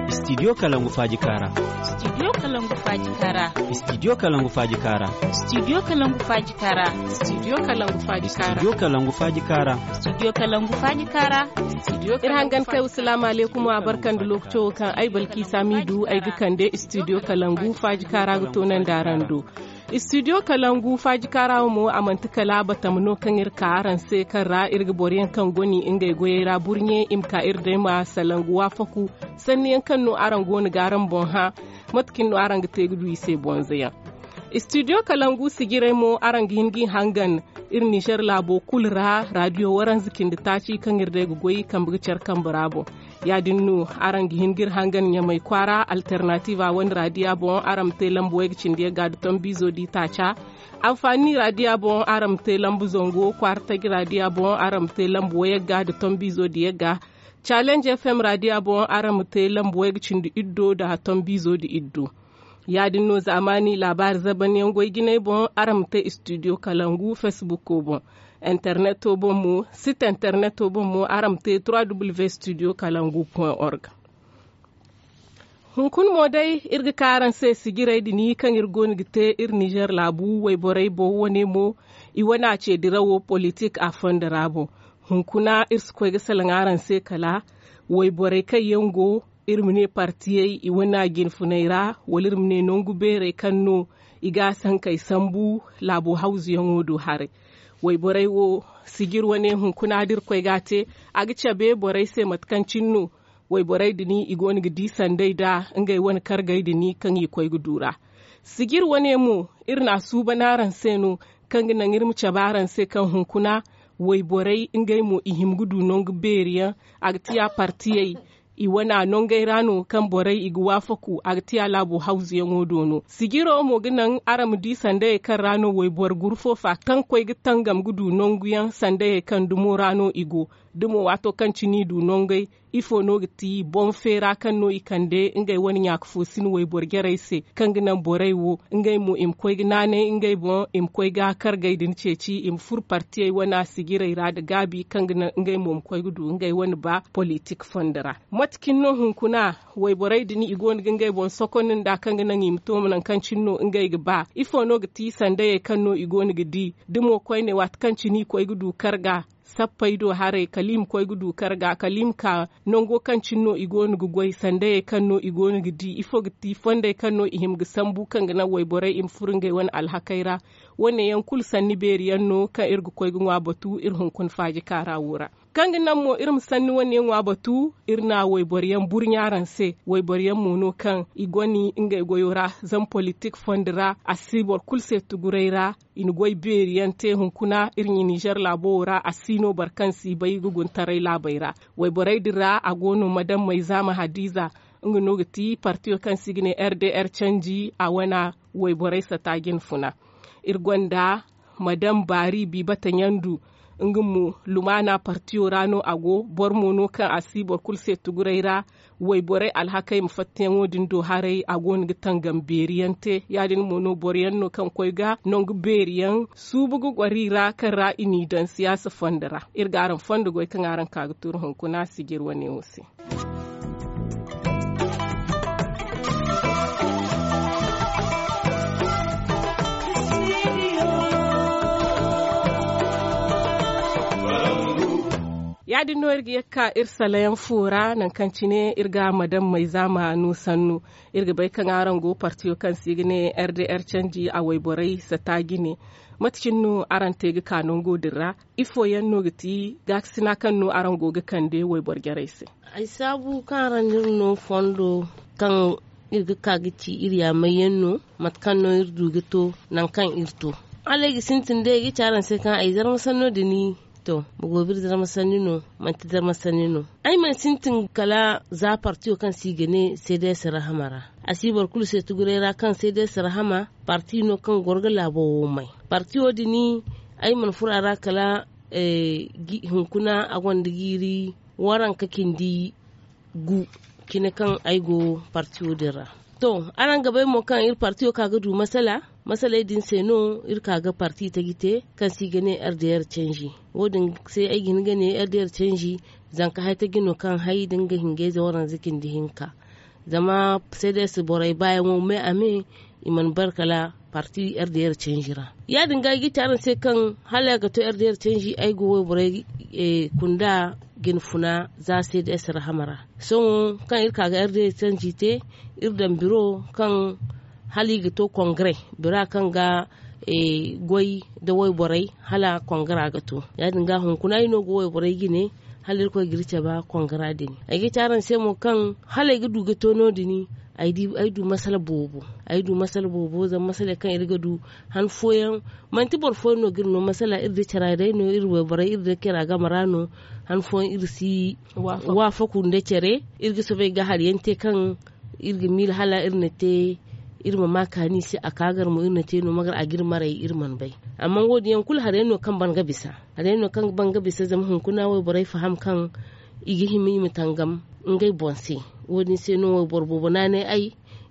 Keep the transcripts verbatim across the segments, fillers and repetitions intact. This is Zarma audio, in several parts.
Studio kalangu faaji kaara. Studio kalangu faaji kaara. Studio kalangu faaji kaara. Studio kalangu faaji kaara. Studio kalangu faaji kaara. Studio kalangu faaji kaara. Studio kalangu faaji kaara. Studio kalangu faaji kaara. Iri hangan kay wa salaamu aleykum a barka nda lookaco wo kaŋ ay balki saamiidu ay ga kande studio kalangu faaji kaara ga toonandi araŋ do. Studio kalangu faaji kaara wo mo a manti kala batama no kaŋ iri ka araŋ se kaŋ ra iri ga boro yaŋ kaŋ goni ngey goyey ra burɲe i ma ka iri day ma salangu waafaku sanni yaŋ kaŋ no araŋ go no ga araŋ boŋ hã. Mate kaŋ no araŋ ga te ga du i se bonza yaŋ. Studio kalangu sijirey mo araŋ ga hin ga i hangan iri nizer laabo kulu ra radio waranza cindi taaci kaŋ iri day ga goy kambe ga care kambe ra boŋ. Ya- din no araŋ ga hin ga iri hangan ɲamay kwaara alternatiiva wane radiya boŋ araŋ ma te lambu wayga cindi yagga nda tombiizo di taaca. Anfaani radiya boŋ araŋ ma te lambu zango kwaara taji radiya boŋ araŋ ma te lambu wayagga nda tombiizo di yagga. Calenj fm radiya boŋ araŋ ma te lambu wayga cindi iddo nda tombiizo di iddo. Ya- din no zaamaani laabaari zabanyaŋ goy jinay boŋ araŋ ma te studio kalangu facebook boŋ. Interneto boŋ mo site interneto boŋ mo araŋ ma te trois w studio kalangu point org. Hunkun mo day iri ga ka araŋ se sijirey din kaŋ iri go no ga te iri nizer laabu wayborey boŋ wane mo. I wane a ce dirawo politik a fondo ra boŋ. Hunkuna iri si koy ga salaŋ araŋ se kala wayborey kaŋ yaŋ go iri ma ne partiyey i wane a jinfuney ra wala iri ma ne nangu beerey kaŋ no i ga a sankey sambu laabo hawzuyaŋo do haray. Wayborey wo sijir wane hunkuna da iri koy ga a te a ga cabe borey se mate kaŋ cine no wayborey din i go no ga di sanday nda ngey wane kargey din kaŋ i koy ga du ra. Sijir wane mo iri na a suuban araŋ se no kaŋ ga naŋ iri ma cabe araŋ se kaŋ hunkuna wayborey ngey mo i hima ga du nangu beeri yaŋ. A ga ti ya partiyey i wane a nongey ra no kaŋ borey i ga waafaku a ga ti a laabo hawzuyaŋo do no sijiro mo ga naŋ araŋ ma di sandayey kaŋ ra no wayboro guru fo fa kaŋ koy ga tangam ga du nangu yaŋ sandayey kaŋ dumo ra no i go. Da mo waato kaŋ cine i du nongey ifo no ga ti boŋ feera kaŋ no i kande ngey wane ɲaaka fo sin wayboro jarey se kaŋ ga naŋ borey wo ngey mo i ma koy ga naanay ngey boŋ i ma koy ga kargey din ceeci i ma furo partiyey wane a sijirey ra nda gaabi kaŋ ga naŋ ngey mo ma koy ga du ngey wane ba politik fondo ra. Mate cine no hunkuna wayborey din i go no ga ngey boŋ sokondi nda kaŋ ga naŋ i ma to nangu kaŋ cine no ngey ga ba ifo no ga ti sandayey kaŋ no i go no ga di da mo koyne waati kaŋ cine i koy ga du karga sappey do haray kala i ma koy ga du karga kala i ma ka nango kaŋ cine no i go no ga goy sandayey kaŋ no i go no ga di ifo ga ti fondey kaŋ no i hima ga sambu kaŋ ga naŋ wayborey i ma furo ngey wane alhakey ra. Wane yaŋ kulu sanni beeri yaŋ no kaŋ iri ga koy ga ŋwa batu iri hunkuna faaji kaara wo ra. Kaŋ ga naŋ mo iri ma sanni wane yaŋ ŋwa batu iri na wayboro yaŋ burɲa araŋ se wayboro yaŋ mo no kaŋ i goni ngey goyo ra zama politik fondo ra a si boro kulu se tuguray ra. I na goy beeri yaŋ te hunkuna iri ɲa nizer laabo wo ra a si no boro kaŋ si bay ga guntaray laabey ra. Wayborey din ra a go no madam mayzaama hadiza nga no ga ti partiyo kaŋ se i ga ne rdr canji a wana wayborey sata jinfuna. Iri gonda madam baari biibata ɲandu nga mo lumaana partiyo ra no a go boro mo no kaŋ a si boro kulu se tuguray ra. Wayborey alhakey ma fattayaŋo din do haray a go no ga tangam beeri yaŋ te ya- din mo no boro yaŋ no kaŋ koy ga nangu beeri yaŋ suubu ga goro i ra kaŋ ra i n'i daŋ siyaasa fondo ra. Iri ga araŋ fondo goy kaŋ araŋ ka ga turu hunkuna sijir wane wo se. Ya- din no iri ga ye ga ka iri salayaŋ fo ra nangu kaŋ cine iri ga madam mayzaama no sannu. Iri ga bay kaŋ araŋ go partiyo kaŋ se i ga ne rdr canji a wayborey sata jine. Mate cine no araŋ te ga ka nango din ra? Ifo yaŋ no ga ti gaakasina kaŋ no araŋ go ga kande wayboro jarey se? Ay saabu kaŋ araŋ n'iri no fondo kaŋ iri ga ka ga ci iri yaamay yaŋ no. Mate kaŋ no iri du ga to nangu kaŋ iri to hala ay ga sintin day ay ga ci araŋ se kaŋ ay zarma sanno din. To, boro go biri zarma sanni no? Manti zarma sanni no. Ay mana sintin kala za partiyo kaŋ se i ga ne cds rahama ra. A si boro kulu se tuguray ra kaŋ cds rahama parti no kaŋ goro ga laabo wo may. Partiyo din ay mana furo a ra kala hunkuna a gonda jiiri waranka cindi gu cine kaŋ ay go partiyo din ra. To, araŋ ga bay mo kaŋ iri partiyo ka ga du masala. Masaley din se no iri ka ga parti taji te, kaŋ se i ga ne r d r canji. Wo- din se ay ga hin ga ne r d r canji, zanka hay taji no kaŋ hay da nga hingayze waranza cindi hinka. Zama c d s borey baayaŋo me a me, i mana bare kala parti r d r canji ra. Ya- din ga ay ga ci araŋ se kaŋ hala a ga to r d r canji, ay ga wayborey kunda jine funa za c d s rahama ra. Sohõ kaŋ iri ka ga r d r canji te, iri daŋ biro kaŋ hala i ga to kongare, bira kaŋ ga goy nda wayborey hala kongara ga to. Ya- din ga hunkuna ay no ga wayborey jine, hala irkoy ga iri cabe kongara din. Ay ga ci araŋ se mo kaŋ hala ay ga du ga to no- din, ay du masala boobo. Ay du masala boobo zama masaley kaŋ iri ga du han fooyaŋ, manti boro fooyaŋ no ga iri no masala, iri da cara day no, iri wayborey iri da cara game ra no. Han fooyaŋ iri si waafaku nda care. Iri ga soobay ga hari yaŋ te kaŋ iri ga miila hala iri na te, iri ma ma kaani se a ka gar mo iri na te no magar a ga iri maray iri mana bay. Amma wo- din yaŋ kulu hari yaŋ no kaŋ ban ga bisa. Hari yaŋ no kaŋ ban ga bisa zama hunkuna wayborey faham kaŋ i ga hima i ma tangam ngey boŋ se. Wo- din se no wayboro boobo naanay ay,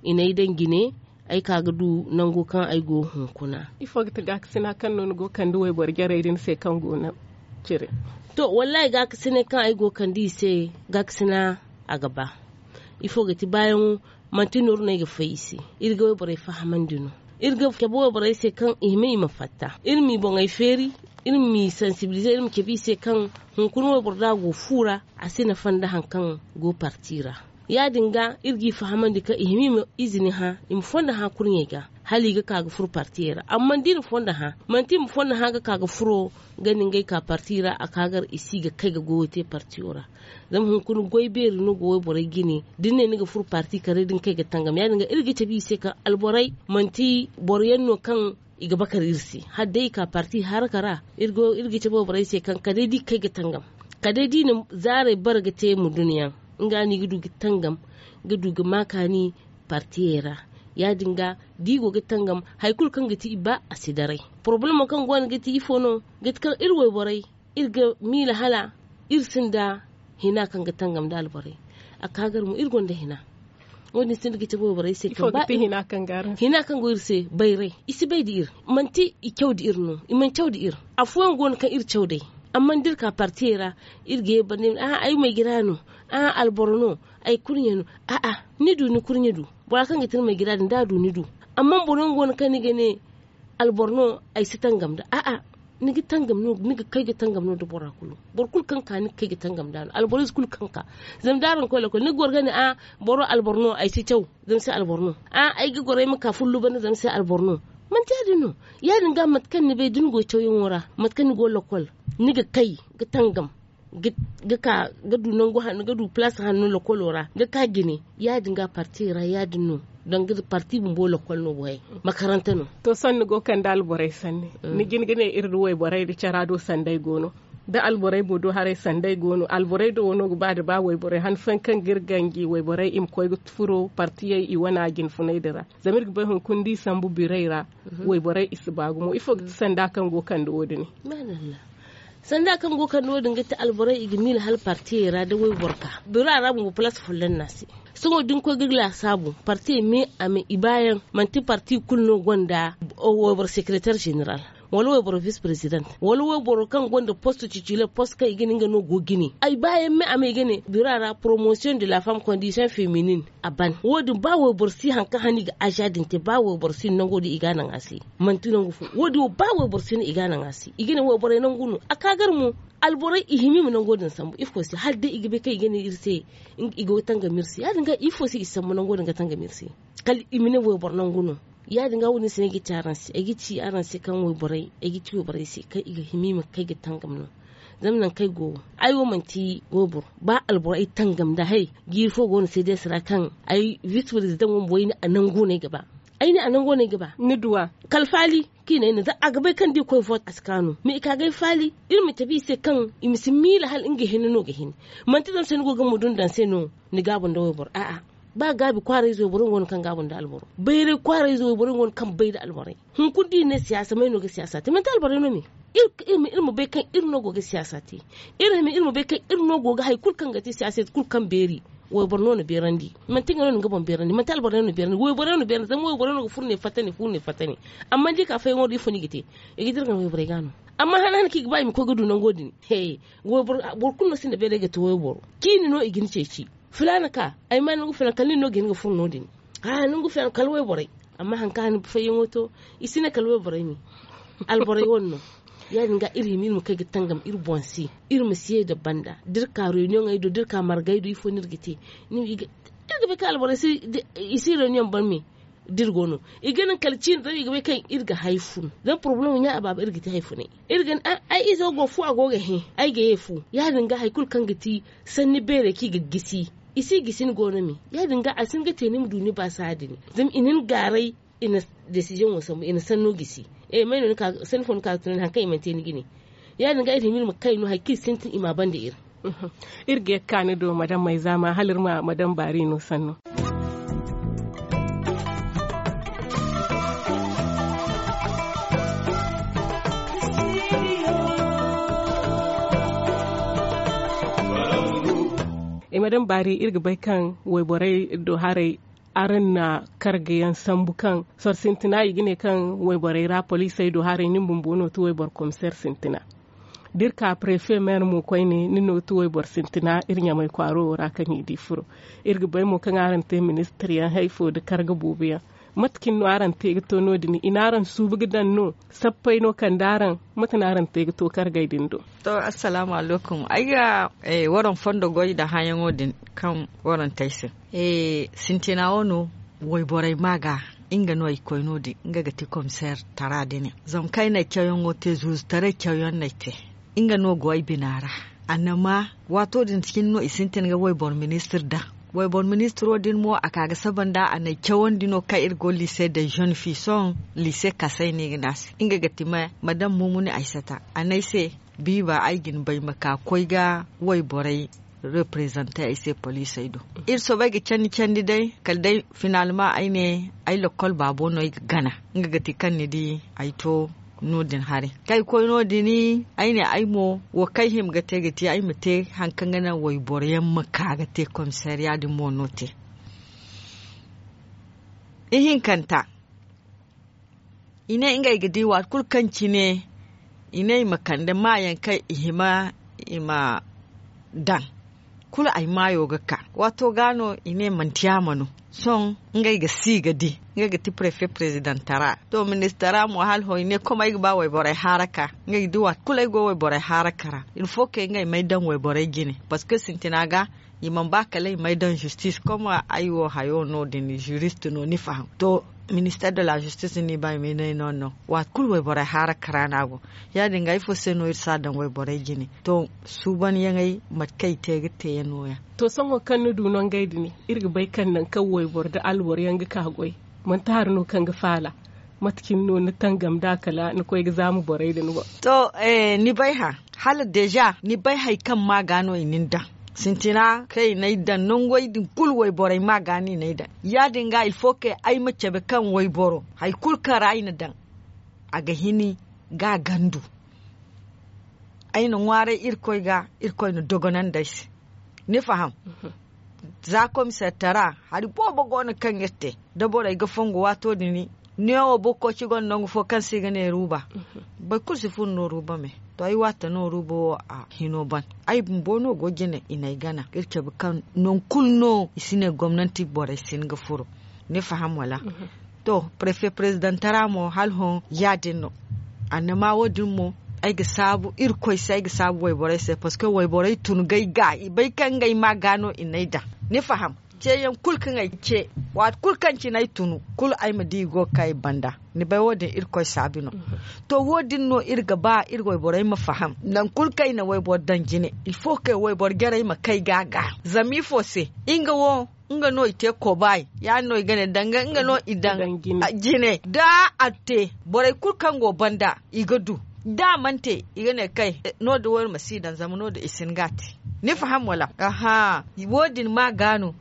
i n'ay daŋ jine, ay ka ga du nango kaŋ ay go hunkuna. Ifo ga ti gaakasina kaŋ no ni go ga kande wayboro jarey din se kaŋ go no cire? To, wallahi gaakasinay kaŋ ay go ga kande i se, gaakasina a ga ba. Ifo ga ti baayaŋo, manti nooru no ay ga fay i se. Iri ga wayborey fahamandi no. Iri ga cabe wayborey se kaŋ i hima i ma fatta, iri m'i boŋey feeri, iri m'i sansibilize, iri ma cabe i se kaŋ hunkuna wayboro da a go fu ra, a si nafa nda hari kaŋ go parti ra. Ya- din ga iri g'i fahamandi kaŋ i hima i ma izini hã, i ma fondo hã kurɲey ga, hala i ga ka ga furo partiyey ra. Amma da i na fondo hã, manti i ma fondo hã ga ka ga furo ga ni ngey ka parti ra, a ka gar i si ga kay ga goyo te partiyo ra. Zama hunkuna goy beeri no ga wayborey jine. Da ni ne ni ga furo parti kare da ni kay ga tangam, ya- din ga iri ga cabe i se kaŋ alborey manti boro yaŋ no kaŋ i ga bakar iri se. Hala day i ka parti haraka ra, iri ga cabe wayborey se kaŋ kala day da i ga kay ga tangam, kala day da i na zaarey bare ga te mudun yaŋ, nga no i ga du ga tangam, ga du ga ma kaani partiyey ra. Ya- din ga da i go ga tangam, hari kulu kaŋ ga ti i ba a si daray. Porobalemo kaŋ go no ga ti ifo no? Ga ti kaŋ iri wayborey, iri ga miila hala iri sinda hina kaŋ ga tangam nda alborey. A ka gar mo iri gonda hina. Wo- din sinda ga cabe wayborey se kaŋ ba hina kaŋ go iri se bayray, i si bay da iri. Manti i caw da iri no, i mana caw da iri. Afooyaŋ go no kaŋ iri caw day. Amma da iri ka partiyey ra, iri ga ye banda ay ma ay maygira no, a alboro no, ay kurɲe no. A'a, ni du ni kurɲe du. Bora kaŋ ga ti ni maygira din da a du ni du. Amma boro yaŋ go no kaŋ ni ga ne alboro no, ay si tangam nda a'a, ni ga tangam no, ni ga kay ga tangam no nda bora kulu. Boro kulu kaŋ ka ni ga kay ga tangam nda no, alboro ize kulu kaŋ ka. Zama da araŋ koy lokol ni ga goro ga ne a, boro alboro no, ay si caw, zama se alboro no. A ay ga goro ay ma ka fullu banda, zama se alboro no. Manti ya- din no. Ya- din ga mate kaŋ ni bay da ni go cawyaŋo ra, mate kaŋ ni go lokol, ni ga kay ga tangam, ga ka ga du nangu hanno ga du palaas hanno lokolo ra ga ka jine. Ya- din ga parti ra ya- din no, danga parti bumbo lokol no borey, makaranta no. To sohõ ni go kande alborey sanni, ni jin ga ne iri da wayborey da cara do sanday go no. Da alborey mo do haray sanday go no, alborey do wano ga ba da ba wayborey han fooyaŋ kaŋ ga iri ganji wayborey i ma koy ga furo partiyey i wana jinfunay din ra. Zama iri ga bay hunkuna da i sambu birey ra, wayborey i si ba gumo ifo ga ti sanda kaŋ go kande wo- din? Sanda kaŋ go kande wo- din ga ti alborey i ga miila hala partiyey ra da wayboro ka bira ra bumbo palaas folloŋ no a se. Sohõ da ni koy ga laasaabu partiyey me a me i baayaŋ, manti parti kulu no gonda wayboro sekereter zeneral, wala wayboro vis prezident, wala wayboro kaŋ gonda post titiler, post kaŋ i ga ne nga no go jine. Ay baayaŋ me a me i ga ne bira ra poromosiyoŋ de la fam kondisiyoŋ feminin. A ban wo- din ba wayboro si hari kaŋ hane i ga aza din te, ba wayboro si nango din i ga a naŋ a se. Manti nangu fo wo- din wo ba wayboro si no i ga a naŋ a se, i ga ne wayborey nangu no a ka gar mo. Alborey i hima i ma nango din sambu ifo se hala day i ga bay kaŋ i ga ne iri se i go ga tangam iri se ya- din ga ifo se i sambu nango din ga tangam iri se. Kala i ma ne wayboro nangu no. Ya- din ga wo- din se no ay ga ci araŋ se ay ga ci araŋ se kaŋ wayborey ay ga ci wayborey se kaŋ i ga hima i ma kay ga tangam no. Zama nangu kaŋ ay go wo, ay wo manti wayboro ba alboro ay tangam nda hay. Jiiri fo go no se day sara kaŋ ay vis prezident wo bumbo ay ne a nangu no ay ga ba. Ay ne a nangu no ay ga ba ni duwa. Kala faali kaŋ i ne ay ne za a ga bay kaŋ da i koy voot a si kaanu mais i ka ga ay faali. Iri ma cabe i se kaŋ i ma si miila hala nga hinne no ga hin. Manti zama se ni go ga mudun daŋ se no ni gaabu nda wayboro a'a. Ba gaabi kwaarayze wayboro nga go no kaŋ gaabu nda alboro. Bayray kwaarayze wayboro nga go no kaŋ bay nda alborey. Hunkuna da i ne siyaasa may no ga siyaasa te manti alborey no me? Iri ma bay kaŋ iri no go ga siyaasa te. Iri ma bay kaŋ iri no go ga hari kulu kaŋ ga te siyaasa te kulu kaŋ beeri. Wayboro no na beerandi. Manti nga no na nga boŋ beerandi manti alboro no na beerandi wayboro no na beerandi zama wayboro no ga furo ne fatta ne furo ne fatta ne. Amma da i ka fayaŋo do ifo no i ga te? I ga dira gana wayborey ga no. Amma hana hana kaŋ i ga ba i ma koy ga du nango din. Boro kulu no sinda beeray ga te wayboro. Ciini no i ga ni ceeci. Filaana ka ay ma ni ga filaana kala nin no ga hin ga furo no- din. Haa ni ga filaana kala wayborey. Amma hari kaŋ hana fayaŋo to i si ne kala wayborey me. Alborey wane no. Ya- din ga iri hima iri ma kay ga tangam iri boŋ se. Iri ma si ye nda banda da iri ka reuniyoŋey do da iri ka margey do ifo no iri ga te? Iri ga bay kaŋ alborey si reuniyoŋ ban me. Da iri go no i ga naŋ kala ciine zama i ga bay kaŋ iri ga hay fun zama porobalemo ɲa abaaba iri ga te hay funay. Iri ga ne ay izo go fu a go ga hẽ. Ay ga ye fu ya- din ga hari kulu kaŋ ga ti sanni beerey kaŋ i ga gisi. I si gisi ni go no me. Ya- din ga a si hin ga te ni ma du ni baasa din. Zama i na ni gaaray. I na desiziyoŋo sambu i na sanno gisi. Sanni fo ni ka ga tunandi hari kaŋ i mana te ni jine. Ya- din ga iri hima iri ma kay no hari kaŋ iri sintin i m'a ban nda iri. Iri ga ye ga ka ni do madam mayzaama hala iri ma madam baari no sanno. Madam baari iri ga bay kaŋ wayborey do haray. Araŋ na karga yaŋ sambu kaŋ soro sintina i ga ne kaŋ wayborey ra poliisey do haray nin bumbo no ti wayboro komiseer sintina. Da iri ka prefe meer mo koyne nin no ti wayboro sintina iri ɲamay kwaaro wo ra kaŋ i di furo. Iri ga bay mo kaŋ araŋ te ministir yaŋ hay fo nda karga boobo yaŋ. Mate cine no araŋ te ga to no- din i na araŋ suubu ga daŋ no? Sappey no kande araŋ? Mate no araŋ te ga to kargey din do? To, assalaamu alaykum ay ga waraŋ fondo goy nda hããyaŋo din kaŋ waraŋ te ay se. Sintina wo no wayborey ma ga nga no ay ga koy no- din nga ga ti komiseer tara din yaŋ zama kaŋ ay na ay cawyaŋo te zuuzu taray cawyaŋ no ay te. Nga no go ay bina ra. Annama waato din cine no i sintin ga wayboro ministir daŋ. Wayboro ministiro din mo a ka ga saba nda a na ay cawandi no kaŋ iri go liise de zone fi sohõ. Liise kasay no i ga ne a se nga ga ti madam mumuni aysata a ne ay se, biiba ay ga ni bay ma ka koy ga wayborey reprezante ay se poliisey do. Iri soobay ga candi candi day kala day finalma ay ne ay lakkol baabo no ay ga gana. Nga ga ti kaŋ ni di ay to no- din haray kaŋ ay koy no- din ay ne ay mo wo kaŋ ay hima ga te ga ti ay ma te hari kaŋ ga naŋ wayboro yaŋ ma ka ga te komiseeriya din mo no te. Ihinkanta i ne ngey ga di waati kulu kaŋ cine i ne i ma kande maayaŋ kaŋ i hima i ma daŋ. Kulu ay maayo ga ka waato ga no i ne manti yaama no. Sohõ ngey ga si ga di ngey ga ti prefe prezidentara to ministara mo hala hõ i ne kom ay ga ba wayborey haaraka. Ngey ga di waati kulu ay go wayborey haaraka ra. Ilfo kay ngey ma ay daŋ wayborey jine parceque sintina ga i mana ba kala i m'ay daŋ zistis kom ay wo hayo no- din zirist no ni faham to. Minister de la zistis no i ba i m'ay no ay no no waati kulu wayborey haara kara no a go. Ya- din ga ifo se no iri si a daŋ wayborey jine? To, suubanyaŋey mate kaŋ i te ga te yaŋ no- ya. To sohõ kaŋ ni du no ngey din iri ga bay kaŋ nangu kaŋ wayboro nda alboro yaŋ ga ka goy? Manti hari no kaŋ ga faala? Mate cine no ni tangam nd'a kala ni koy ga zaama borey din boŋ? To, ni bay hã, hala deeza ni bay hari kaŋ ma ga no i na ni daŋ. Sintina kaŋ i n'ay daŋ nangey din kulu wayborey ma ga no i n'ay daŋ. Ya- din ga ilfo kaŋ ay ma cabe kaŋ wayboro hari kulu kaŋ ra ay na daŋ, a ga hini ga a gandu. Ay na ŋwaaray irkoy ga, irkoy na dogonandi ay se. Ni faham? Za komiseer tara hari boobo go no kaŋ iri te da borey ga fongu waato din. Neewo boro koci gonda nangu fo kaŋ se i ga ne ruuba. Boro kulu si furo no ruuba me. To ay waata no ruuba wo a hino ban. Ay bumbo no go jine i n'ay gana iri cabe kaŋ nangu kulu no i si ne gomnanti borey si hin ga furo. Ni faham wala? To, prefe prezidentara mo hala hõ ya- din no. Annama wo- din mo ay ga saabu irkoy se ay ga saabu wayborey se parceque wayborey tun ga ay ga i bay kaŋ ngey ma ga no i n'ay daŋ. Ni faham? Ceeyaŋ kulu kaŋ ay ce, waati kulu kaŋ cine ay tunu kulu ay ma di i go ga ka ay banda. Ni bay wo- din irkoy saabi no. To, wo- din no iri ga ba iri wayborey ma faham nangu kulu kaŋ ay na wayboro daŋ jine, ilfo kaŋ wayboro jarey ma kay ga a ga. Zama ifo se? Nga wo nga no i te kobaay. Ya- din no i ga ne danga nga no i daŋ jine da a te borey kulu kaŋ go banda i ga du. Da a mana te i ga ne kay no- din wo iri ma si daŋ zama no- din i si hin ga a te. Ni faham wala? Aha. Wo- din ma ga no.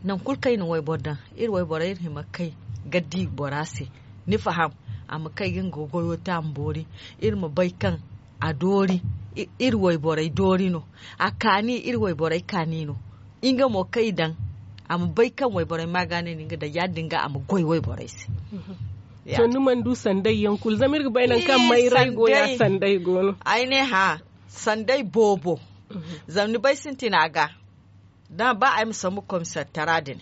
Nangu kulu kaŋ i na wayboro daŋ, iri wayborey iri hima ga kay ga di bora se. Ni faham? A ma kay ga nga goyo te a ma boori. Iri ma bay kaŋ a doori. Iri wayborey doori no. A kaani iri wayborey kaani no. Nga mo kaŋ i daŋ a ma bay kaŋ wayborey ma ga ne no nga daŋ ya- din ga a ma goy wayborey se. To ni mana du sanday yaŋ kulu zama iri ga bay nangu kaŋ mayray go ya sanday go no. Ay ne hã, sanday boobo. Zama ni bay sintina ga da ba ay ma sambu komisaritara din,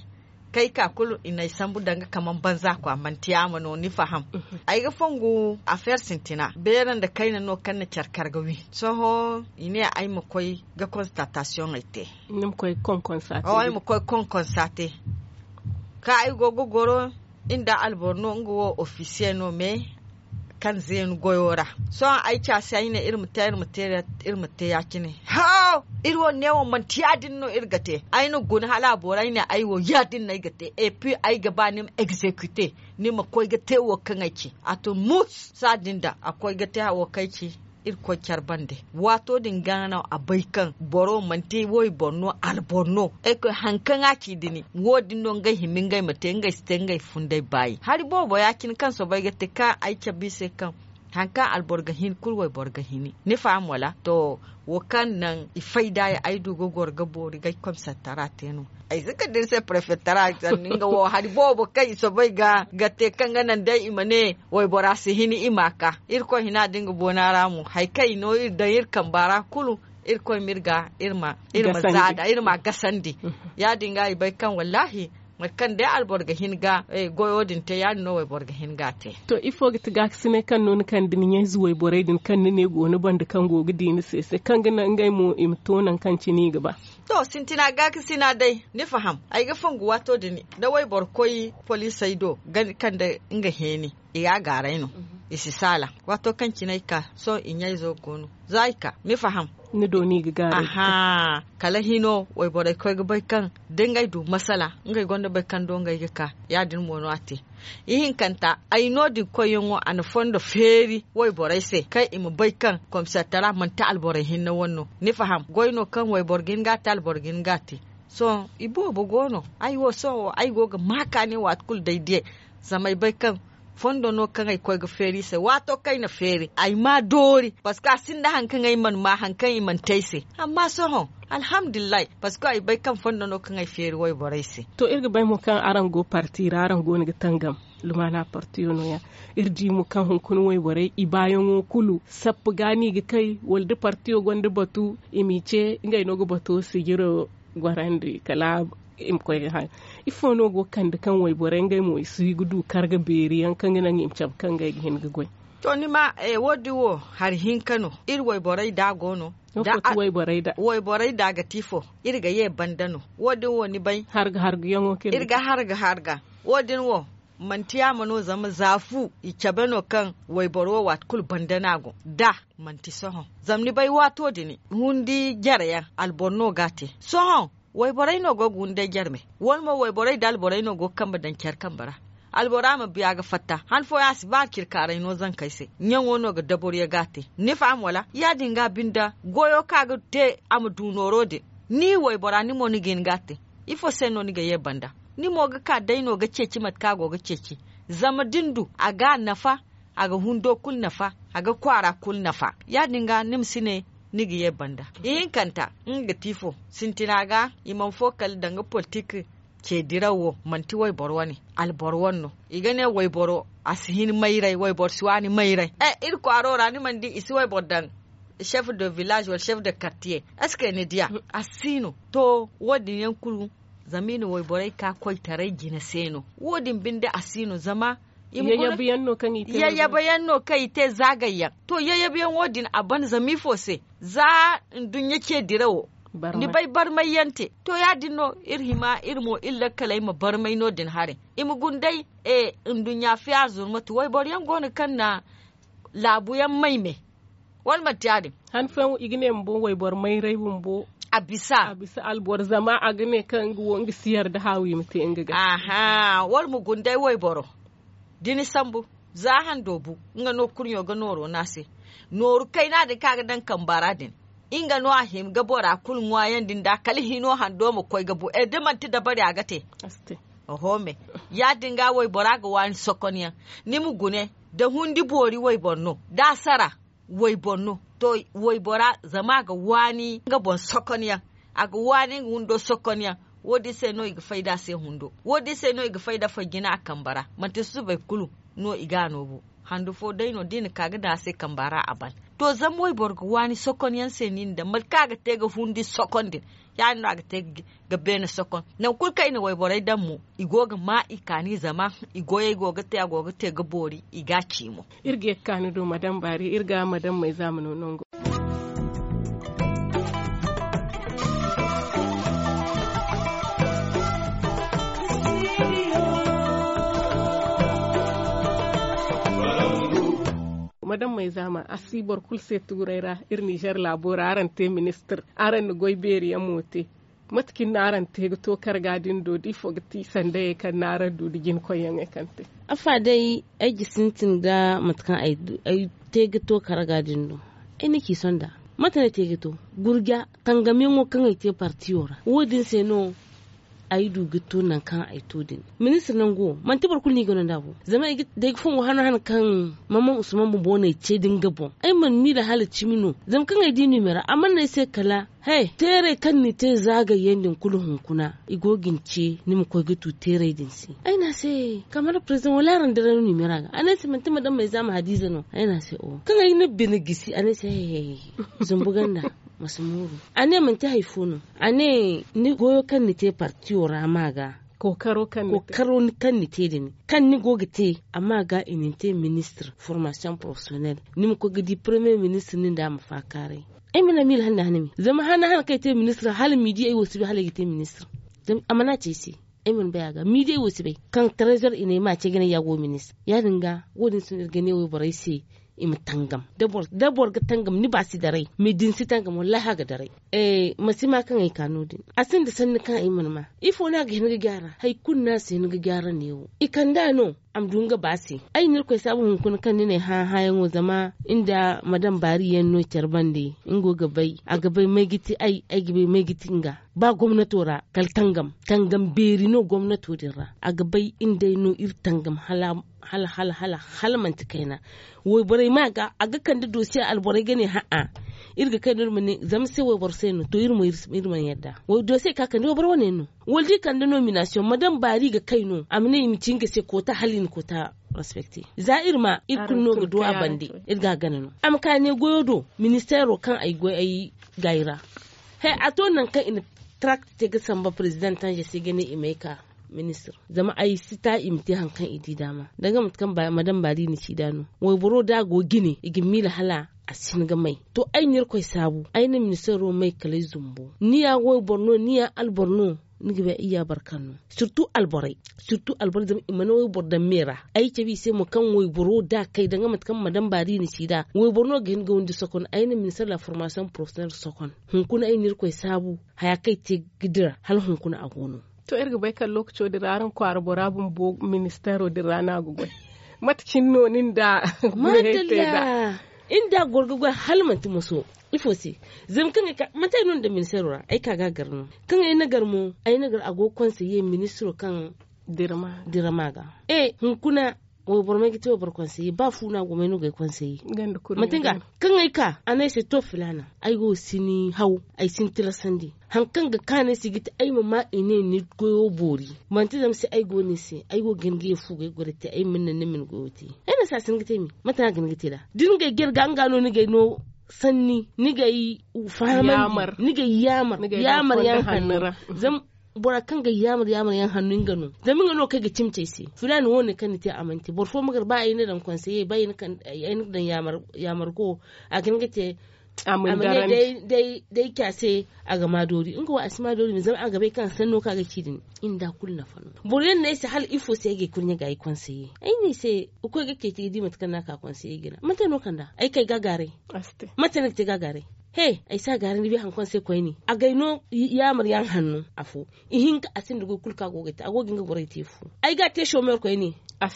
kay ka kulu i na ay sambu danga kaman banza kwa manti yaama no ni faham. Ay ga fongu afeer sintina beera nda kayna no kaŋ na care kar ga wi. Sohõ i ne ay ma koy ga konstatasiyoŋey te. Ay ma koy konkonsa te. Kaŋ ay go ga goro, iri nda alboro no nga wo ofisiye no me kaŋ zeenu goyo ra. Sohõ ay caasi ay ne iri ma te iri ma te ya- cine. Hoo, iri wo neewo manti ya- din no iri ga te. Ay na guna hala a boori ay ne ay wo ya- din no ay ga te. Epi ay ga ba ni ma egzekite, ni ma koy ga te wo kaŋ ay ci. A tun mus, saa din da a koy ga te wo kaŋ ay ci. Irkoy care bande, waato din ga no a bay kaŋ boro manti wayboro no, alboro no. Ay koy hari kaŋ a ci dini wo- din no ngey hima ngey ma te ngey si te ngey funday baayi hari boobo ya- cine kaŋ soobay ga te kaŋ ay cabe i se kaŋ hari kaŋ alboro ga hin kulu wayboro ga hini. Ni faham wala to? Wo kaŋ naŋ i fayda ya ay du ga goro ga boori ga ay komisaritara te no. Ay si kande ni se parefettara sanni nga wo hari boobo kaŋ i soobay ga te kaŋ ga naŋ day i ma ne waybora si hini i ma a ka. Irkoy hina da nga boona ra mo hari kaŋ i no iri daŋ iri kamba ra kulu. Irkoy ma iri ga iri ma iri ma zaada iri ma a gasandi. Ya- din ga i bay kaŋ wallaahi mate kaŋ day alboro ga hin ga goyo din te ya- din no wayboro ga hin ga a te. To ifo ga ti gaakasinay kaŋ no ni kande ni ɲayze wayborey din kaŋ ni ne go ni banda kaŋ go ga di ni se se kaŋ ga naŋ ngey mo i ma to nangu kaŋ cine i ga ba? To sintina gaakasina day ni faham ay ga fongu waato din da wayboro koy poliisey do kande nga heeni. I ga a gaaray no. I si saala waato kaŋ cine ay ka sohõ i ɲayzo go no za i ka ni faham. Ni do no i ga gaaray. Kala hino wayborey koy ga bay kaŋ da ngey du masala ngey gonda bay kaŋ do ngey ga ka. Ya- din mo no a te. Ihinkanta ay no- din koyyaŋo a na fondo feeri wayborey se kaŋ i ma bay kaŋ komisaritara manti alborey hinne wane no. Ni faham goy no kaŋ wayboro ga hin ga a te alboro ga hin ga a te. Sohõ i boobo go no. Ay wo sohõ ay go ga maaka ne waati kulu day diyay. Zama ay bay kaŋ fondo no kaŋ ay koy ga feeri i se waato kaŋ ay na feeri ay ma a doori parceque a sinda hari kaŋ ay mana ma hari kaŋ i mana te ay se. Amma sohõ alhamdulillahi parceque ay bay kaŋ fondo no kaŋ ay feeri wayborey se. To iri ga bay mo kaŋ araŋ go parti ra araŋ go no ga tangam. Lumaana partiyo no- ya iri di mo kaŋ hunkuna wayborey i baayaŋo kulu sappu ga no i ga kay wala da partiyo gonda batu i m'i ce ngey no ga bato sijiro gorandi kala i ma koy ga haŋ. Ifo no go ga kande kaŋ wayborey ngey mo i si ga du karga beeri yaŋ kaŋ ga naŋ i ma cabe kaŋ ngey ga hin ga goy? To ni ma wo- din wo hari hinka no iri wayborey da go no. Wayborey da ga ti ifo iri ga ye banda no wo- din wo ni bay. Iri ga harga harga wo- din wo manti yaama no zama za fu i cabe no kaŋ wayboro wo waati kulu banda no a go da manti sohõ. Zama ni bay waato din hundi jare yaŋ alboro no ga a te sohõ. Wayborey no go ga hunday jare me wala mo wayborey da alborey no go ga kambe daŋ care kambe ra. Albora ma biya ga fatta han fooyaŋ a si ba a cirkaaray no zankey se. Ɲaŋo no ga daboriyo ga a te ni faham wala ya- din ga a binde goyo kaŋ a ga te a ma du nooro din. Ni waybora ni mo ni ga hin ga a te. Ifo se no ni ga ye banda? Ni mo ga ka day no ga ceeci mate kaŋ a go ga ceeci. Zama da ni du a ga a nafa. A ga hundo kulu nafa a ga kwaara kulu nafa. Ya- din ga ni ma si ne ni ga ye banda. Ihinkanta nga ga ti ifo sintina ga i mana fo kala danga politik. Ce diraw wo manti wayboro wane alboro wane no. I ga ne wayboro a si hin mayray wayboro si waani mayray. Iri kwaaro ra ni mana di i si wayboro daŋ chef de village wala chef de quartier? Est ce que ni diya a si no? To wo- din yaŋ kulu zama i na wayborey ka koytaray jina se no. Wo- din binde a si no zama i ma guna yayyabayaŋ no kaŋ i te zaagayyaŋ. To yayyabayaŋo din a ban zama ifo se? Za nduɲɲa ce dirawo ni bay barmayyaŋ te. To ya- din no iri hima iri mo iri lakkaley ma barmay no- din haray. I ma guna day nduɲɲa fiya zurmatu wayboro yaŋ go no kaŋ na laabu yaŋ may me. Wala manti ya- din? Han fooyaŋ i ga ne bumbo wayboro mayray bumbo a bisa alboro zama a ga ne kaŋ nga wo nga si yarda haawi ma te nga ga. Wala ma guna day wayboro da ni sambu za hando bu nga no kurɲo ga nooro no a se. Nooru kayna din kaŋ a ga daŋ kamba ra din nga no a hima ga bora kulu ŋwaayandi nda kala hino hando ma koy ga bu e da manti dabari a ga te. Oho me ya- din ga waybora ga waani sokonyaŋ. Ni ma gune da hundi boori wayboro no da a sara wayboro no. To waybora zama a ga waani nga boŋ sokonyaŋ. a ga waani nga hundo sokonyaŋ. Wo- din se no i ga fayda se hundo. Wo- din se no i ga fayda fay jina a kambe ra. Manti susubay kulu no i ga a noobu. Handu fo day no da i na ka ga daŋ a se kambe ra a ban. To zama wayboro ga waani sokonyaŋ se no i na daŋ mate kaŋ a ga te ga hundi sokon din. Ya- din no a ga te ga beene sokon. Nangu kulu kaŋ i na wayborey daŋ mo, i go ga ma i kaani zama i goyey go ga te a go ga te ga boori i ga a ci mo. Iri ga ye ga kaanu do madam baari iri ga madam mayzaama no nango. Madam mayzaama a si boro kulu se tuuray ra. Iri nizer laabo ra araŋ te ministir, araŋ na goy beeri yaŋ mo te. Mate cine no araŋ te ga to karga din do da ifo ga ti sandayey kaŋ no araŋ du da jinakoyyaŋey kaŋ te? Afa day, ay ga sintin ga mate kaŋ ay te ga to karga din do. Ay na ci sonda mate no ay te ga to gurja tangamyaŋo kaŋ ay te partiyo ra wo- din se no ay du ga to nangu kaŋ ay to din. Ministir nangu wo manti boro kulu no i ga no nd'a bo zama day ga fongo hano hano kaŋ mamman usman bumbo no ay ce din ga boŋ. Ay mana miila hala cimi no zama kaŋ ay di numero a mana no ay se kala he teeray kaŋ ni te zaagayyaŋ din kulu hunkuna i go ga ni ce ni ma koy ga tu teeray din se. Ay ne a se kamar president wala araŋ dira ni numero a ga a ne ay se manti madam mayzaama hadiza no ay ne a se o kaŋ ay na bine gisi a ne ay se he he he zumbu ganda ma si mooru. A ne manti hari fo no a ne ni goyo kaŋ ni te partiyo ra ma ga kookaro kaŋ ni te din kaŋ ni go ga te a ma ga i na ni te ministir formasiyoŋ porofesiyonel ni ma koy ga di paremiye ministir nin da a ma faakaaray. Ay mana miila hane da hane me zama hane hane kaŋ ay te ministir hala midi ay wo si bay hala ay ga te ministir. Zama a mana ci ay se ay mana bay a ga midi ay wo si bay kaŋ tarezor i ne ay ma a ce ga ne ya go ministir ya- din ga wo- din se no iri ga ne wayborey se i ma tangam. Da boro ga tangam ni ba si daray me da ni si tangam wallaahi a ga daray. Ma si ma kaŋ ay ka no- din a sinda sanni kaŋ ay mana ma. Ifo no a ga hin ga gyaara hari kulu no a si hin ga gyaara neewo i kand'a no a ma du nga ba se. Ay na irkoy saabu hunkuna kaŋ ni ne hã hãyaŋo zama nda madam baari yaŋ no care bande nga wo ga bay a ga bay may ga ti ay ay ga bay may ga ti nga. Ba gomnato ra kala tangam tangam beeri no gomnato din ra a ga bay nga day no iri tangam hala hala hala hala manti kayna. Wayborey ma ga a ga kande dosiye alborey ga ne ha'a iri ga kay no iri ma ne zama se wayboro se no to iri mo iri mana yadda. Dosiye ka kande wayboro wane no wala da i kande nominasiyoŋ madam baari ga kay no a ma ne i ma ci nga se koota hala i na koota respekte. Za iri ma iri kulu no ga du a bande iri ga a gana no a ma ka ne goyo do ministeero kaŋ ay goy ay gaayi ra. He a to nangu kaŋ i na tarakta te ga samba perezidantaŋ se ga ne i ma ay ka ministir zama ay si ta i ma te hari kaŋ i di daama danga mate kaŋ madam baari na ci da no. Wayboro da a go jine i ga miila hala a si hin ga may. To ay na irkoy saabu ay na ministeero may kala ay zumbo ni ya wayboro no ni ya alboro no. Ni ga bay ay ya barkan no sirtu alborey sirtu alborey zama i mana wayboro daŋ me ra. Ay cabe i se mo kaŋ wayboro da a kay danga mate kaŋ madam baari na ci da wayboro no ga hin ga windi sokon ay na ministeero da formasiyoŋ porofesiyonel sokon. Hunkuna ay na irkoy saabu haya kaŋ ay te ga dira hala hunkuna a go no. To iri ga bay kala lookaco din ra araŋ kwaara bora bumbo ministeero din ra no a ga goy? Mate cine no nin da gurhey te nd'a? Iri nda a goro ga goy hala manti moso. Ifo se? Zama kaŋ ay ka manti ay no nda ministeero ra ay ka ga a gar no kaŋ ay na gar mo ay na gar a go ga konseye ministiro kaŋ dira ma ga. E hunkuna wayboro may ga te wayboro konseye ba fu no a go may no ga ay konseye. Manti nga kaŋ ay ka a ne ay se to filaana ay wo si ni haw ay si ni tilasandi. Hari kaŋ ga kaanu ay se ga ti ay ma ma i ne ni goyo boori. Manti zama se ay go no ni se ay go ga hin ga ye fu ga ay goray te ay ma ni naŋ ni ma ni goyo te. Ay na se a si hin ga te me mate no a ga hin ga te nd'a da ni ga ay jare ga nga no ni ga ay no sanni ni ga ay fahamandi ni ga ay yaamar yaamar yaŋ hanno. Zama bora kaŋ ga ay yaamar yaamar yaŋ hanno nga no zama nga no kaŋ ay ga cimi ci ay se filaana wo- ne kaŋ ni te a mana te boro fo ma gar ba ay na daŋ konseye ba ay na daŋ yaamar go a ga hin ga te. A ma ne day ca se a ga ma doori nga wo a si ma doori me zama a ga bay kaŋ sanno kaŋ a ga ci din. Iri nda kulu nafa no boro yaŋ no ay se hala ifo se ay ga ay kurɲe ga ay konseye ay ne ay se ga koy ga ceeci ga di mate kaŋ no a ka konseye jina mate no kand'a ay kay ga a gaaray. Mate no ay ga te ga a gaaray he ay si a gaaray ni bay hari kaŋ se koyne a ga ay no yaamar yaŋ hanno afo. Ihinka a sinda goy kulu kaŋ a go ga ay te a go ga nga borey te fu. Ay ga a te someer koyne a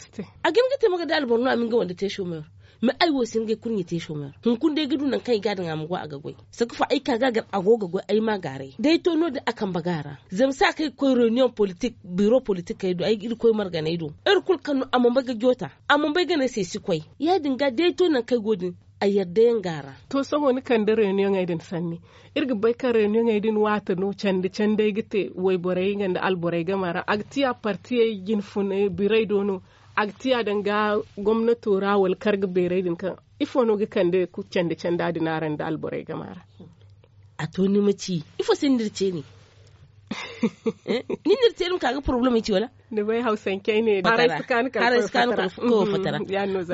ga hin ga te ma ga da alboro no a ma nga wande te someer. Mais ay wo si hin ga ay kurɲe te someer hunkuna day ga du nangu kaŋ ay ga a daŋ a ma go a ga goy. Saka fo ay ka ga a gar a go ga goy ay ma a gaaray da ay to no- din a kambe ga a ra. Zama se a kaŋ ay ga koy reyuniyoŋ politik biro politik ay do ay ga iri koy marganay do iri kulu kaŋ no a mana bay ga joota a mana bay ga ne ay se ay si koy. Ya- din ga da ay to nangu kaŋ ay go din a yadda yaŋ ga a ra. To sohõ ni kande reuniyoŋey din sanni. Iri ga bay kaŋ reuniyoŋey din waati no candi candey ga te wayborey nga nda alborey game ra a ga tiya partiyey jinfuney birey do no. A ga tiya danga gomnato ra wala karga beerey din kaŋ ifo no ga kande candi canda din araŋ nda alborey game ra? A to ni ma ci ifo se ni n'iri ce ne? Ni n'iri te ni ma ka ga poroblem ay ci wala? Ni bay hawsancey ne haray si kaanu kala koy fatara.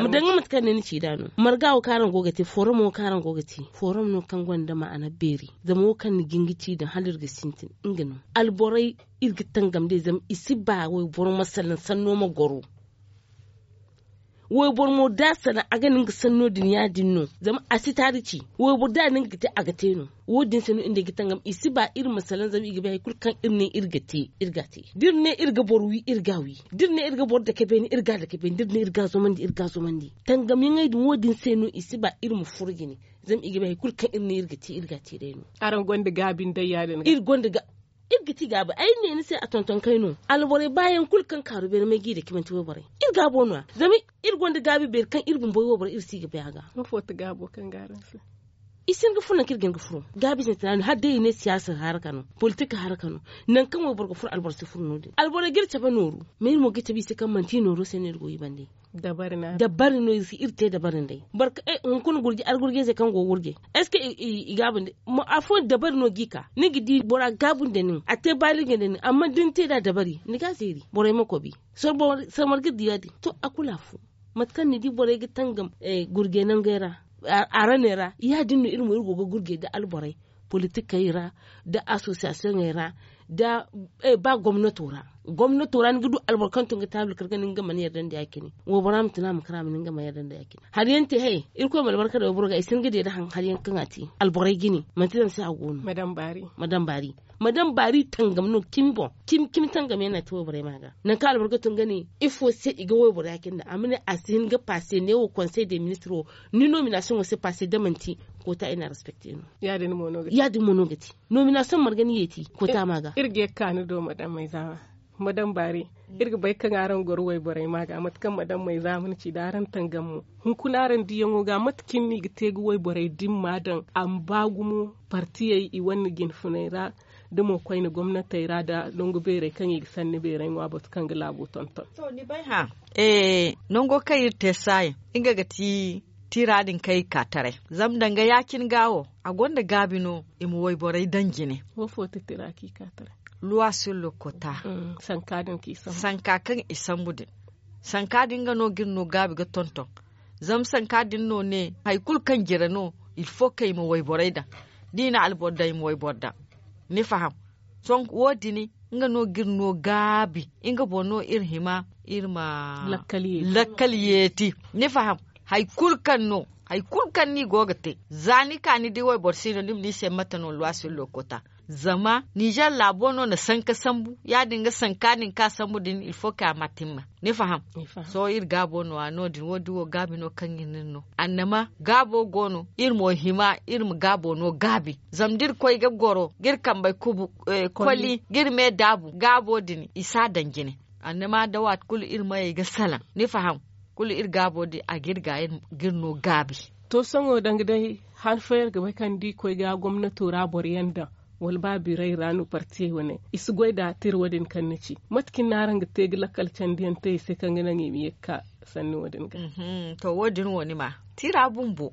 Ma danga mate kaŋ ne ni ci da no marga wo kaŋ araŋ go ga te forum wo kaŋ araŋ go ga te forum no kaŋ gonda ma'ana beeri. Zama wo kaŋ ni ga hin ga ci daŋ hala iri ga sintin nga no. Alborey iri ga tangam day zama i si ba wayboro ma salaŋ sanno ma goro. Wayboro mo da a salaŋ a ga nin ga sanno din ya- din no. Zama a si taari ci wayboro da a nin ga te a ga te no. Wo- din se no iri ne ga tangam i si ba iri ma salaŋ zama i ga bay hari kulu kaŋ iri ne iri ga te iri ga a te. Da iri ne iri ga boro wi iri ga a wi. Da iri ne iri ga boro dake beene iri ga a dake beene da iri ne iri ga a zomandi iri ga a zomandi. Tangam yaŋey din wo- din se no i si ba iri ma furo jine. Zama i ga bay hari kulu kaŋ iri ne iri ga te iri ga a te day no. Araŋ gonda gaabi nda ya- din ga iri gonda ga iri ga ti gaabi ay ne ni se a tonton kay no. Alborey baayaŋ kulu kaŋ kaaru beene may g'i da cimante wayborey iri gaabo no- ya zama iri gonda gaabi beeri kaŋ iri bumbo wayborey iri si ga bay a ga. Ifo ti gaabo kaŋ ga araŋ se? I si hin ga furo nangu kaŋ iri ga hin ga furo gaabi sintina no hala day i ne siyaasa haraka no. Politik haraka no. Nangu kaŋ wayboro ga furo alboro si furo no- din alborey ga iri cabe nooru. Ma iri mo ga iri cabe i se kaŋ manti i nooro se no iri go i bande. Dabari no iri te dabari nd'ey. Boro kaŋ hunkuna gurje argurjey se kaŋ go ga gurje? Est ce que i gaabu nda afooyaŋ dabari no g'i ka ni ga di bora gaabu nda nin a te baaliga nda nin amma da ni te nd'a dabari ni ga a zeeri borey ma kobi. Sarmar ga di ya- din to a kulu afo. Mate kaŋ ni di borey ga tangam gurjey nangey ra, araney ra ya- din no iri mo iri go ga gurjey nda alborey politikey ra, nda asosiyasiyoŋey ra, nda ba gomnato ra. Gomnato ra ni ga du alboro kaŋ tun ga taabil kar ga nin ga mana yardandi ya- cine. Waybora ma tun a ma kar a ma nin ga mana yardandi ya- cine. Hari yaŋ te hay irkoy ma albarka daŋ wayboro ga i si hin ga deeda haŋ hari yaŋ kaŋ a te alborey jine manti zama se a go no. Ma daŋ baari. Ma daŋ baari tangam no cimi boŋ. Cimi tangam yaŋ no a te wayborey ma ga nangu kaŋ alboro ga tun ga ne ifo se i ga wayboro ya- cine a ma ne a si hin ga paase ne wo konsey de ministiro. Ni nominasiyoŋo se paase da manti koota i na respecte no. Ya- din mo no ga te. Nominasiyoŋ marga ni yeeti koota ma ga. Iri ga ye ga ka ni do madam mayzaama. Madam baari. Iri ga bay kaŋ araŋ goro wayborey ma ga mate kaŋ madam mayzaama ni ci da araŋ tangam mo. Hunkuna araŋ diyaŋo ga mate kaŋ ni ga te ga wayborey dimma daŋ a ma ba gumo partiyey i wane jinfuney ra, da mo koyne gomnatey ra nda nangu beerey kaŋ i ga sanni beerey ŋwa batu kaŋ ga laabo tonton. To ni bay hã. Nango kaŋ iri te saayaŋ nga ga ti tiira din kaŋ iri ka taray. Zama danga ya- cine ga wo a gonda gaabi no i ma wayborey daŋ jine. Wo fo ti tira kaŋ i ka taray? Luwa sur le kota. Sanka kaŋ i sambu din. Sanka din nga no ga iri no gaabi ga tonton. Zama sanka din no ne hari kulu kaŋ jire no. Ilfo kaŋ i ma wayborey daŋ da i na alboro daŋ i ma wayboro daŋ. Ni faham? Sohõ wo- din nga no ga iri no gaabi. Nga boŋ no iri hima iri ma lakkal yeeti. Ni faham? Hari kulu kaŋ no hari kulu kaŋ no i go ga te za ni ka ni di wayboro si no ni ma ne i se mate no luwa sur le kota. Zama ninzeer laabo no na sanka sambu ya- din ga sanka din kaŋ a sambu din ilfo kaŋ a ma timma. Ni faham? Sohõ iri gaabo no- ya no- din wo- din wo gaabi no kaŋ iri na iri no annama gaabo go no iri mo hima iri ma gaabo no gaabi. Zama da iri koy ga goro ga iri kambey kubu koli ga iri me daabu gaabo din i si a daŋ jine. Annama da waati kulu iri mayey ga salaŋ ni faham? Kulu iri gaabo din a ga iri ga iri no gaabi. To sohõ danga day han fooyaŋ iri ga bay kaŋ da i koy ga gomnato ra boro yaŋ daŋ wala ba birey ra no partiyey wane i si goy nda tira wo- din kaŋ ni ci? Mate kaŋ ni na araŋ ga te ga lakkal candiyaŋ te i se kaŋ ga naŋ i ma ye ga ka sanni wo- din ga? To wo- din wo ni ma tira bumbo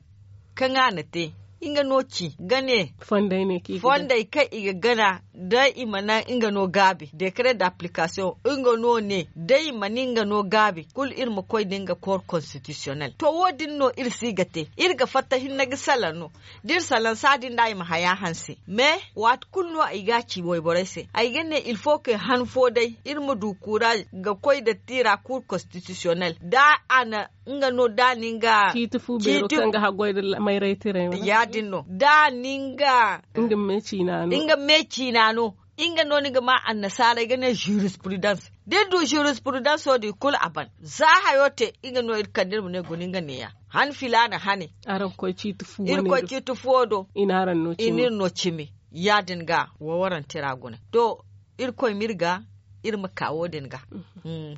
kaŋ a na te nga no ci ga ne fondey kaŋ i ga gana da i mana nga no gaabi dekret da application nga no ne da i mana nga no gaabi kulu iri ma koy da nga kor constitutionnel to wo- din no iri si ga te iri ga fatta hinne ga salaŋ no. Da iri salaŋ saadi nda i ma haya hanse mais waati kulu no ay ga a ci wayborey se ay ga ne ilfo ke han fo day iri ma du kura ga koy da tira kur constitutionnel da a na nga no da ni nga ciiti fu beero kaŋ ga haggoy da mayray tiray ya- din no da ni nga nga me ciina no nga no ni ga ma annasaara ay ga ne jurisprudence da iri du jurisprudence wo din kulu a ban za hayo te nga no iri kande iri ma ne guna nga ne- ya han filaana hane iri koy ciiti fuwo do i na iri no cimi ya- din ga wawaraŋ tira guna to irkoy ma iri ga iri ma ka wo- din ga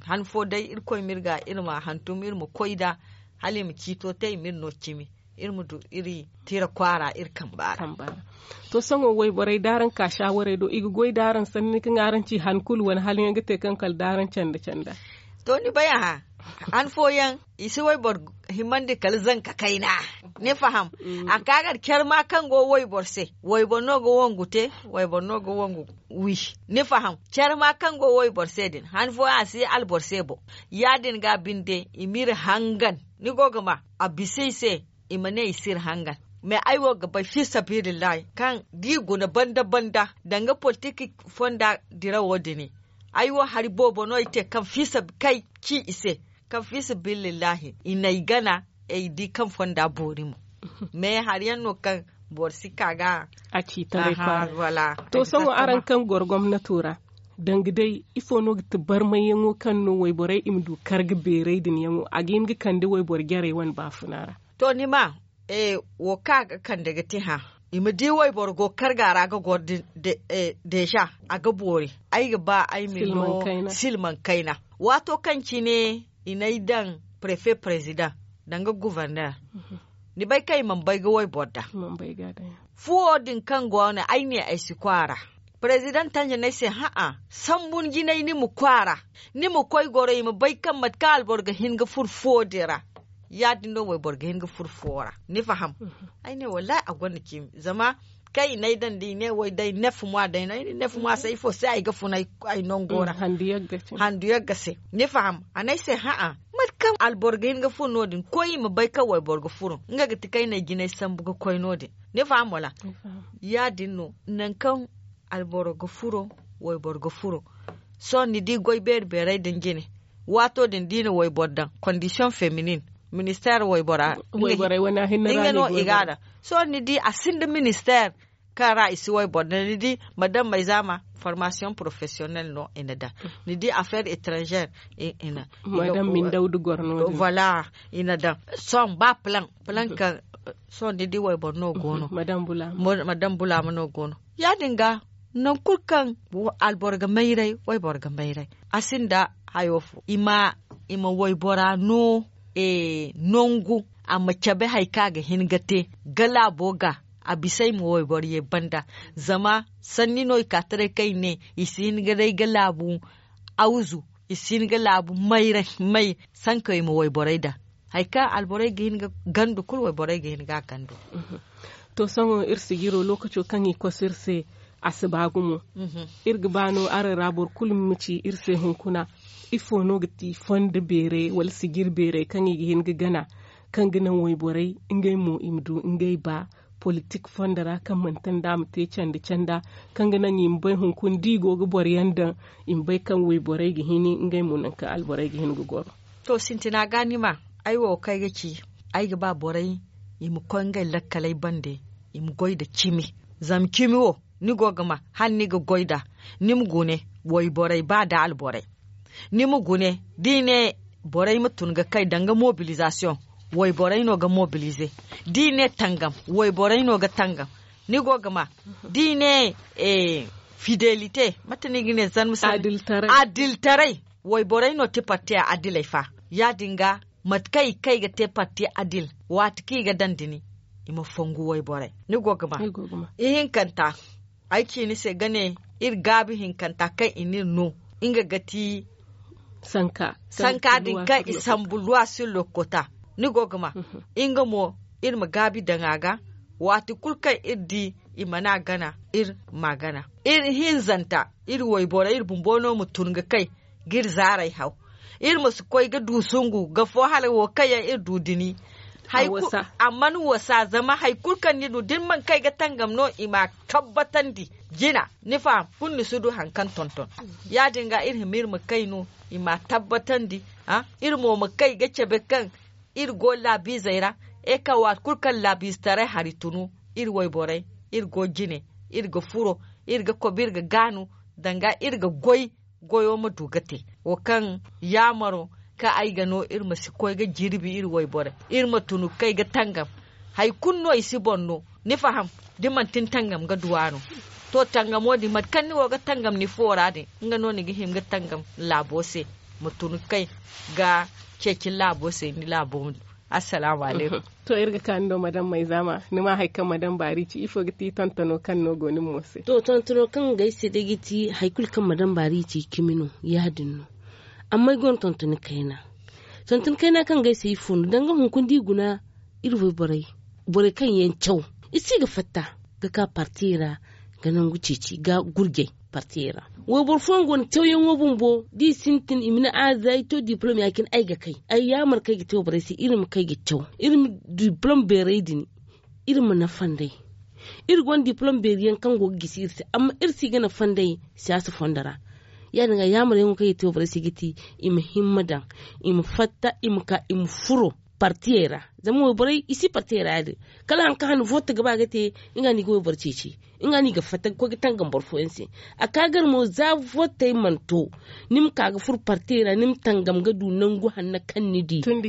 han fo day irkoy ma iri ga iri ma hantum iri ma koy nd'a hala i ma ciito te i ma iri no cimi. iri ma du iri tira kwaara iri kamba ra. To sohõ wayborey da araŋ ka shaawarey do i ga goy da araŋ sanni kaŋ araŋ ci han kulu wane hala yaŋ ga te kaŋ kala da araŋ canda canda. To ni bay a hã han fooyaŋ i si wayboro himandi kala zanka kayna. Ni faham? A ka ga care ma kaŋ go wayboro se wayboro no ga wangu te. Wayboro no ga wangu wi. Ni faham? Care ma kaŋ go wayboro se din han fooyaŋ a si ye alboro se boŋ. Ya- din ga binde i m'iri hangan ni go ga ma a bisa i se. I ma ne i s'iri hangan. Mais ay wo ga bay fiisabilillahi kaŋ da i guna banda banda danga politik fonda dirawo din. Ay wo hari boobo no ay te kaŋ fiisa kay ci i se kaŋ fiisabilillahi i n'ay gana. Ay di kaŋ fonda boori mo. Mais hari yaŋ no kaŋ boro si ka ga a ci taray kwaara. Wala to sohõ araŋ kaŋ goro gomnato ra danga day ifo no ga ti barmayyaŋo kaŋ no wayborey i ma du karga beeray din yaŋo a ga hin ga kande wayboro jarey wane baafuna ra? To ni ma wo kaŋ a ga kande ga te hã i ma di wayboro go karga ra ga goro. Deeza a ga boori. Ay ga ba ay ma ni no silmaŋ kayna. Waato kaŋ cine i n'ay daŋ prefe prezidaŋ danga guverner. Ni bay kaŋ i mana bay ga wayboro da fuwo din kaŋ go no ay ne ay si kwaara. Prezidaŋ tanji no ay se hã'a sambu ni jinay ni ma kwaara. Ni ma koy goro i ma bay kaŋ mate kaŋ alboro ga hin ga furo fuwo din ra. Ya- din no wayboro ga hin ga furo fuwo ra. Ni faham? Ay ne wallahi a gonda cimi zama kaŋ i n'ay daŋ da i ne way day neef mwa day no ay ne neef mwa se ifo se ay ga fun ay nango ra. Handu yagga se ni faham? A n'ay se hã'a mate kaŋ alboro ga hin ga fun no- din koy i ma bay kaŋ wayboro ga furo nga ga ti kaŋ ay n'ay jinay sambu ga koy no- din. Ni faham wala? Ya- din no nangu kaŋ alboro ga furo wayboro ga furo. Sohõ ni di goy beeri beeray din jine waato din da i na wayboro daŋ kondisiyoŋ feminin ministeer waybora nga no i ga a daŋ. Sohõ ni di a sinda ministeer kaŋ ra i si wayboro daŋ ni di ma daŋ mayzaama formasiyoŋ porofesiyonel no i na daŋ. Ni di afeer etranzeer i na daŋ. Voila i na daŋ. Sohõ ba palaŋ palaŋ kaŋ sohõ ni di wayboro no go no. Ma daŋ bulaama no go no. Ya- din ga nangu kulu kaŋ alboro ga mayray wayboro ga mayray a sinda hayo fo i ma waybora no. Nangu a ma cabe hari kaŋ a ga hin ga te ga laabo ga a bisa i ma wayboro ye banda. Zama sanni no i ka taray kaŋ i ne i si hin ga day ga laabu awzu i si hin ga laabu mayray may sanka i ma wayborey daŋ. Hari kaŋ alborey ga hin ga gandu kulu wayborey ga hin ga a gandu. To sohõ iri sijiro lokaco kaŋ i koso iri se a si ba gumo. Iri ga ba no araŋ ra boro kulu ma ci iri se hunkuna ifo no ga ti fondo beerey wala sijiri beerey kaŋ i ga hin ga gana kaŋ ga naŋ wayborey ngey mo i ma du ngey ba politik fondo ra kaŋ manti nda a ma te canda canda kaŋ ga naŋ i ma bay hunkuna da i go ga boro yaŋ daŋ i ma bay kaŋ wayborey ga hini ngey mo nangu kaŋ alborey ga hin ga goro. To sintina ga ni ma ay wo kaŋ ay ga ci ay ga ba borey i ma koy ngey lakkaley bande i ma goy nda cimi. Zama cimi wo ni go ga ma hala ni ga goy nd'a ni ma gune wayborey ba nda alborey. Ni ma gune da i ne borey ma tun ga kay danga mobilizasiyoŋ wayborey no ga mobilize. Da i ne tangam wayborey no ga tangam. Ni go ga ma da i ne fidelite mate no i ga ne zarma sanni adiltaray. Wayborey no ti parti adiley fa ya- din ga mate kaŋ i ga te parti adil waati kaŋ i ga daŋ da ni i ma fongu wayborey. Ni go ga ma ihinkanta ay ci ni se ga ne iri gaabi hinkanta kaŋ i n'iri no nga ga ti sanka din kaŋ i sambu luwa sir lokota. Ni go ga ma nga mo iri ma gaabi daŋ a ga waati kulu kaŋ iri di i mana gana iri ma gana iri hinzanta iri wayborey iri bumbo no ma tun ga kay ga iri zaarey haw. Iri ma si koy ga du sungu ga fo hala wo kaŋ yaŋ iri du dini. A mana wasa zama hari kulu kaŋ ni du da ni mana kay ga tangam no i ma a tabbatandi jina. Ni faham kulu ni si du hari kaŋ tonton ya- din ga iri hima iri ma kay no i ma a tabbatandi. Iri mo ma kay ga cabe kaŋ iri go laabiizey ra. E ka waati kulu kaŋ laabiizetaray hari tunu iri wayborey iri go jine iri ga furo iri ga kobo iri ga gaanu danga iri ga goy goyo ma du ga te wo kaŋ yaamaro kaŋ ay ga no iri ma si koy ga jirbi iri wayborey iri ma tunu ga kay ga tangam. Hari kulu no i si boŋ no ni faham da manti ni tangam ga duwa no. To tangamo din mate kaŋ ni go ga tangam ni foora din nga no ni ga hima ga tangam laabo se ma tunu ga kay ga ceeci ni laabo se ni laabo ma du. Assalaamu alaykum. To, iri ga ka ni do madam mayzaama, ni ma hari kaŋ madam baari ci, ifo ga ti tontano kaŋ no go ni mo se? To, tontano kaŋ ga ay se day ga ti hari kulu kaŋ madam baari ci cimi no, ya- din no. Amma ay gonda tontoni kayna. Tontoni kayna kaŋ ga ay se ifo no danga hunkuna da i guna, iri wayborey, borey kaŋ yaŋ caw, i si ga fatta ga ka partiyey ra, ga nangu ceeci ga gurjay partiyey ra. Wayboro fooyaŋ go no cawyaŋo bumbo da i sintin i ma ne a za ay to diplom ya- cine ay ga kay. Ay yaamar kaŋ ay ga te wayborey se iri ma kay ga caw, iri ma diplom beerey din, iri ma nafa nd'ey. Iri gonda diplom beeri yaŋ kaŋ go ga gisi iri se, amma iri si ga nafa nd'ey siyaasa fondo ra. Ya- din ga yaamaryaŋo kaŋ ay ga te wayborey se ga ti, i ma himma daŋ, i ma fatta, i ma ka i ma furo partiyey ra. Zama wayborey i si partiyey ra ya- din. Kala hari kaŋ hane vote ga ba ga te, nga no i ga wayboro ceeci, nga no i ga fatta ga koy ga tangam boro fooyaŋ se. A ka gar mo za votey mana to, ni ma ka ga furo partiyey ra ni ma tangam ga du nangu hanno kaŋ ni di. Tun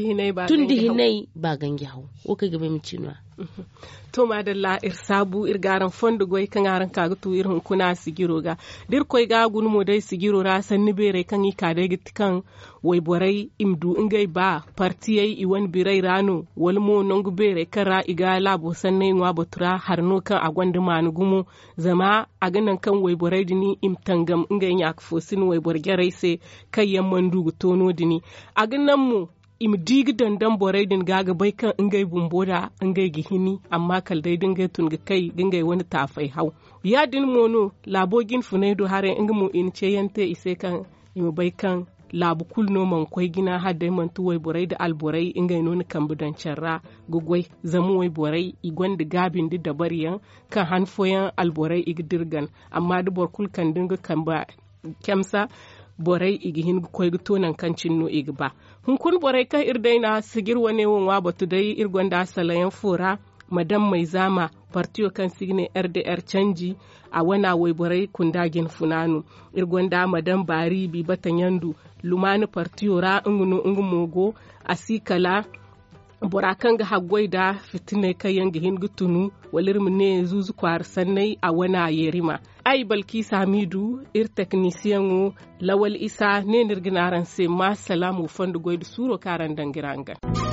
da hinay ba ganji haw. Wo kaŋ ay ga ba ay ma ci no- ya. To maadalla, iri saabu iri ga araŋ fondo goy kaŋ araŋ ka ga tu iri hunkuna sijiro ga. Da iri koy ga guna mo day sijiro ra sanni beerey kaŋ i ka day ga ti kaŋ wayborey i ma du ngey ba partiyey i wane birey ra no, wala mo nangu beerey kaŋ ra i ga laabo sanney ŋwa batu ra hari no kaŋ a gonda maanu gumo. Zama a ga naŋ kaŋ wayborey din i ma tangam ngey ɲaaka fo sina wayboro jarey se, kaŋ yaŋ mana du ga to no- din. A ga naŋ mo i ma di ga dandam borey din ga ga bay kaŋ ngey bumbo da ngey ga hini, amma kala day da ngey tun ga kay ga ngey wane taafay haw. Ya- din mo no laabo jinfunay do haray nga mo i na ceeyaŋ te i se kaŋ i ma bay kaŋ laabu kulu no mana koy jina hala day manti wayborey nda alborey ngey no na kambe daŋ care ra ga goy. Zama wayborey i gonda gaabi nda dabariyaŋ kaŋ han fooyaŋ alborey i ga dirgan, amma da boro kulu kande nga kambe camsa, borey i ga hin ga koy ga to nangu kaŋ cine no i ga ba. Hunkuna borey kaŋ iri day na sijir wane wo ŋwa batu day iri gonda salayaŋ fo ra, madam mayzaama, partiyo kaŋ se i ga ne r d r canji, a wana wayborey kunda jinfuna no. Iri gonda madam baari bibata ɲandu, lumaana partiyo ra nga no nga mo go. A si kala bora kaŋ ga haggoy nda fitiney kaŋ yaŋ ga hin ga tunu, wala iri ma ne zuuzu kwaara sanney a wana yerima. Ay balkiisa hamiidu, iri teknisiyaŋo lawal isa ne no iri ga ne araŋ se ma salaam wa fondo goy nda suuro kaŋ araŋ daŋ ga iri hangan.